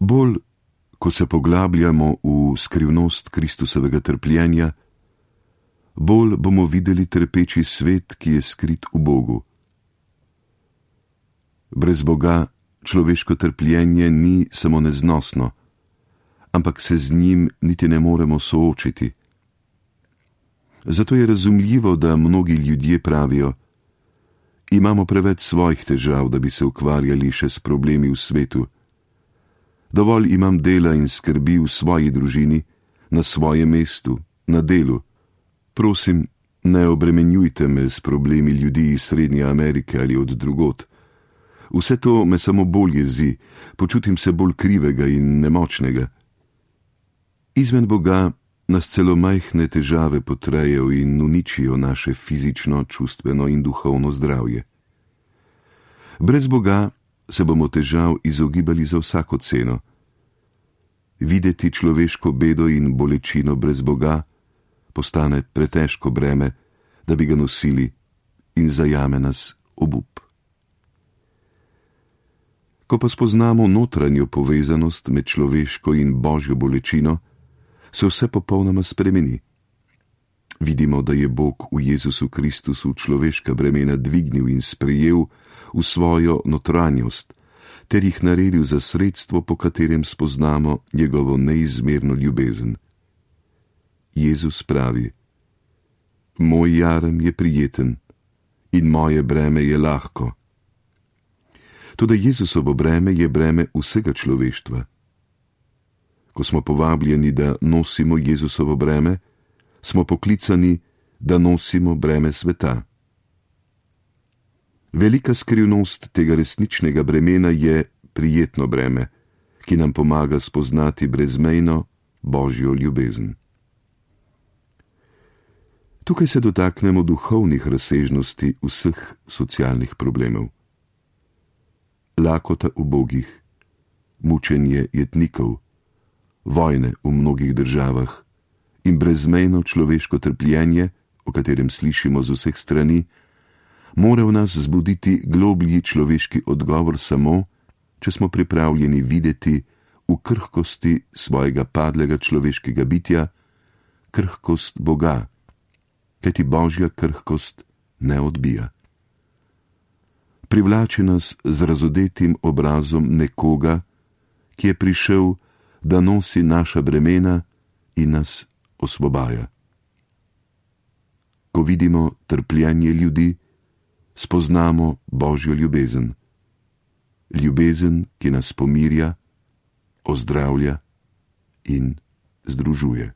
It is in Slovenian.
Bolj, ko se poglabljamo v skrivnost Kristusovega trpljenja, bolj bomo videli trpeči svet, ki je skrit v Bogu. Brez Boga človeško trpljenje ni samo neznosno, ampak se z njim niti ne moremo soočiti. Zato je razumljivo, da mnogi ljudje pravijo: imamo preveč svojih težav, da bi se ukvarjali še s problemi v svetu. Dovolj imam dela in skrbi v svoji družini, na svojem mestu, na delu. Prosim, ne obremenjujte me s problemi ljudi iz Srednje Amerike ali od drugod. Vse to me samo bolj jezi, počutim se bolj krivega in nemočnega. Izven Boga nas celo majhne težave potrejo in uničijo naše fizično, čustveno in duhovno zdravje. Brez Boga se bomo težav izogibali za vsako ceno. Videti človeško bedo in bolečino brez Boga postane pretežko breme, da bi ga nosili, in zajame nas obup. Ko pa spoznamo notranjo povezanost med človeško in božjo bolečino, se vse popolnoma spremeni. Vidimo, da je Bog v Jezusu Kristusu človeška bremena dvignil in sprejel v svojo notranjost, ter jih naredil za sredstvo, po katerem spoznamo njegovo neizmerno ljubezen. Jezus pravi: moj jarem je prijeten in moje breme je lahko. Toda Jezusovo breme je breme vsega človeštva. Ko smo povabljeni, da nosimo Jezusovo breme, smo poklicani, da nosimo breme sveta. Velika skrivnost tega resničnega bremena je prijetno breme, ki nam pomaga spoznati brezmejno božjo ljubezen. Tukaj se dotaknemo duhovnih razsežnosti vseh socialnih problemov. Lakota ubogih, mučenje jetnikov, vojne v mnogih državah in brezmejno človeško trpljenje, o katerem slišimo z vseh strani, mora v nas zbuditi globlji človeški odgovor samo, če smo pripravljeni videti v krhkosti svojega padlega človeškega bitja krhkost Boga, kajti božja krhkost ne odbija. Privlači nas z razodetim obrazom nekoga, ki je prišel, da nosi naša bremena in nas osvobaja. Ko vidimo trpljenje ljudi, spoznamo božjo ljubezen. Ljubezen, ki nas pomirja, ozdravlja in združuje.